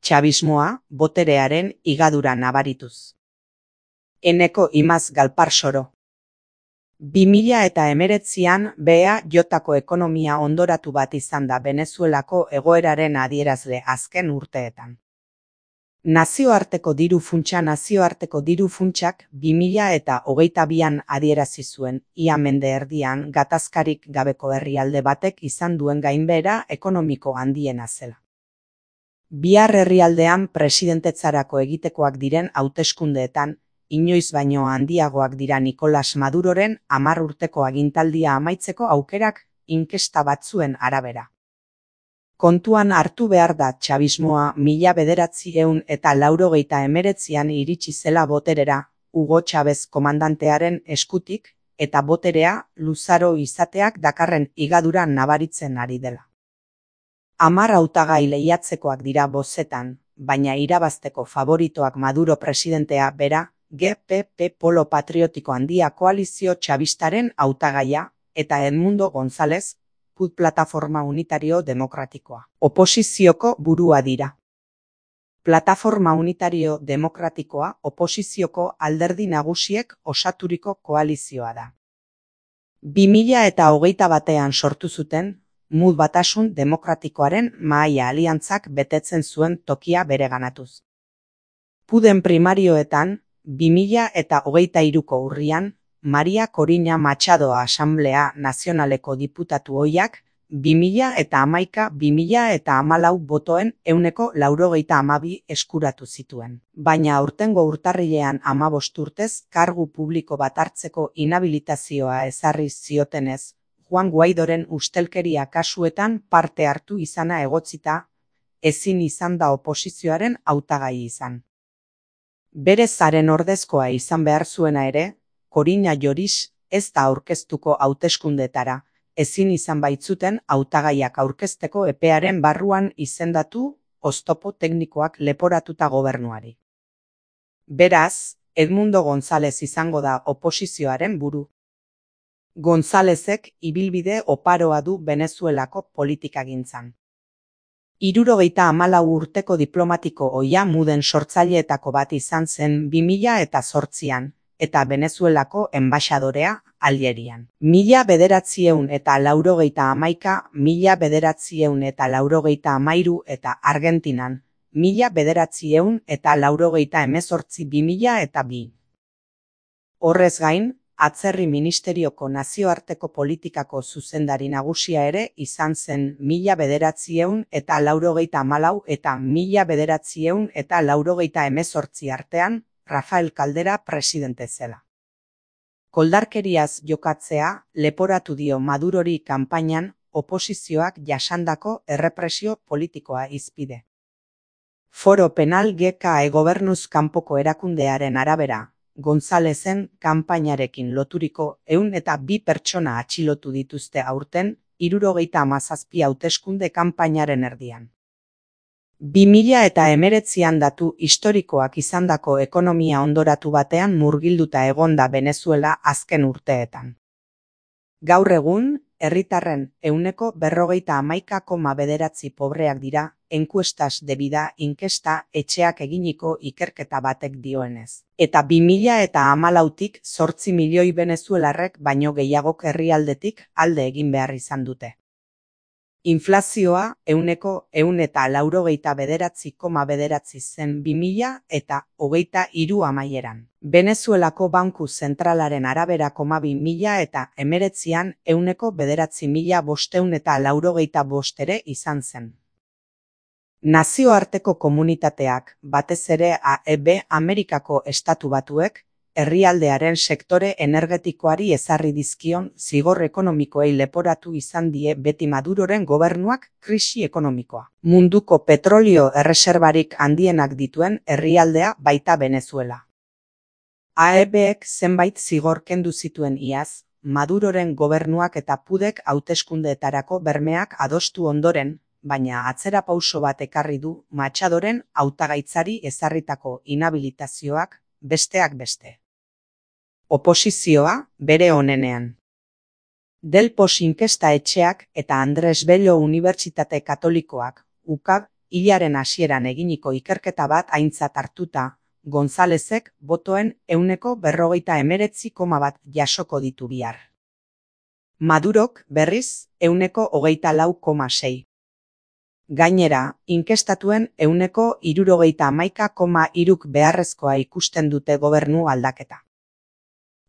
Txabismoa boterearen igadura nabarituz. Eneko Imaz Galparsoro. 2019an BEA jotako ekonomia ondoratu bat izan da Venezuelako egoeraren adierazle azken urteetan. Nazioarteko diru funtsak 2022an adierazi zuen ia mende erdian gatazkarik gabeko herrialde batek izan duen gainbehera ekonomiko handiena zela. Bihar herrialdean presidentetzarako egitekoak diren hauteskundeetan, inoiz baino handiagoak dira Nicolas Maduroren 10 urteko agintaldia amaitzeko aukerak inkesta batzuen arabera. Kontuan hartu behar da txabismoa 1989an iritsi zela boterera, Hugo Chávez komandantearen eskutik, eta boterea luzaro izateak dakarren igadura nabaritzen ari dela. 10 hautagai lehiatzekoak dira bozetan, baina irabazteko favoritoak Maduro presidentea bera, GPP Polo Patriotiko Handia Koalizio Txabistaren hautagaia, eta Edmundo González, PUD Plataforma Unitario Demokratikoa, oposizioko burua dira. Plataforma Unitario Demokratikoa oposizioko alderdi nagusiek osaturiko koalizioa da. 2021an sortu zuten, MUD Batasun Demokratikoaren mahaia aliantzak betetzen zuen tokia bereganatuz. PUDen primarioetan, 2023ko urrian, Maria Corina Machado Asamblea Nazionaleko diputatu ohiak 2011-2014 botoen 192 eskuratu zituen. Baina aurtengo urtarrilean 15 urtez kargu publiko bat hartzeko inhabilitazioa ezarri ziotenez, Juan Guaidoren ustelkeria kasuetan parte hartu izana egotzita, ezin izan da oposizioaren hautagai izan. Bere zaren ordezkoa izan behar zuena ere, Corina Lloris ez da aurkeztuko hauteskundetara, ezin izan baitzuten hautagaiak aurkezteko epearen barruan izendatu oztopo teknikoak leporatuta gobernuari. Beraz, Edmundo González izango da oposizioaren buru. Gonzálezek ibilbide oparoa du Venezuelako politikagintzan. 74 urteko diplomatiko ohia MUDen sortzaileetako bat izan zen 2008an, eta Venezuelako enbaxadorea Alierian. 1991, 1993 eta Argentinan, 1998-2002. Horrez gain, Atzerri Ministerioko Nazioarteko Politikako zuzendari nagusia ere izan zen 1994 eta 1998 artean, Rafael Caldera presidente zela. Koldarkeriaz jokatzea leporatu dio Madurori kanpainan oposizioak jasandako errepresio politikoa hizpide. Foro Penal GKE gobernuz kanpoko erakundearen arabera, Gonzálezen kanpainarekin loturiko 102 pertsona atxilotu dituzte aurten 77 hauteskunde kanpainaren erdian. 2019an datu historikoak izandako ekonomia ondoratu batean murgilduta egonda Venezuela azken urteetan. Gaur egun, herritarren 51,9% pobreak dira, Encuestas de Vida inkesta etxeak eginiko ikerketa batek dioenez. Eta 2014tik 8 milioi venezuelarrek baino gehiagok herrialdetik alde egin behar izan dute. Inflazioa 189,9 zen 2023 amaieran. Venezuelako Banku Zentralaren arabera 2019an 9.585 ere izan zen. Nazioarteko komunitateak, batez ere AEB Amerikako Estatu Batuek, herrialdearen sektore energetikoari ezarri dizkion zigor ekonomikoei leporatu izan die beti Maduroren gobernuak krisi ekonomikoa. Munduko petrolio erreserbarik handienak dituen herrialdea baita Venezuela. AEBek zenbait zigor kendu zituen iaz, Maduroren gobernuak eta PUDek hauteskundeetarako bermeak adostu ondoren, baina atzerapauso bat ekarri du Machadoren hautagaitzari ezarritako inhabilitazioak, besteak beste. Oposizioa bere onenean. Delpos inkesta etxeak eta Andres Bello Unibertsitate Katolikoak, UCAB, hilaren hasieran eginiko ikerketa bat aintzat hartuta, Gonzalezek botoen 49,1 jasoko ditu bihar. Madurok, berriz, 24,6. Gainera, inkestatuen 71,3 beharrezkoa ikusten dute gobernu aldaketa.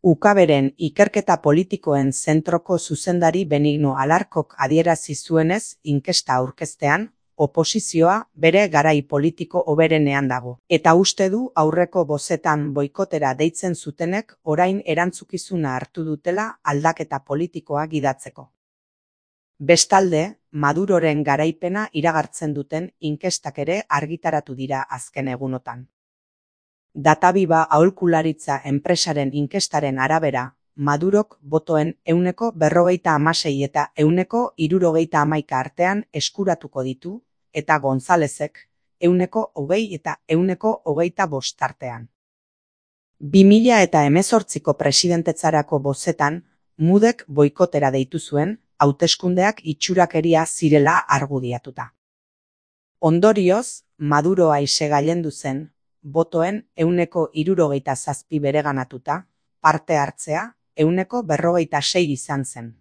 UKBren ikerketa politikoen zentroko zuzendari Benigno Alarkok adierazi zuenez inkesta aurkeztean, oposizioa bere garai politiko hoberenean dago. Eta uste du aurreko bozetan boikotera deitzen zutenek orain erantzukizuna hartu dutela aldaketa politikoa gidatzeko. Bestalde, Maduroren garaipena iragartzen duten inkestak ere argitaratu dira azken egunotan. Databiba aholkularitza enpresaren inkestaren arabera, Madurok botoen 56 eta 71 artean eskuratuko ditu, eta Gonzalezek 20 eta 25 artean. 2018ko presidentetzarako bozetan, Mudek boikotera deitu zuen, hauteskundeak itxurakeria zirela argudiatuta. Ondorioz, Maduro aise gailendu zen, botoen 67 bereganatuta, parte hartzea 46 izan zen.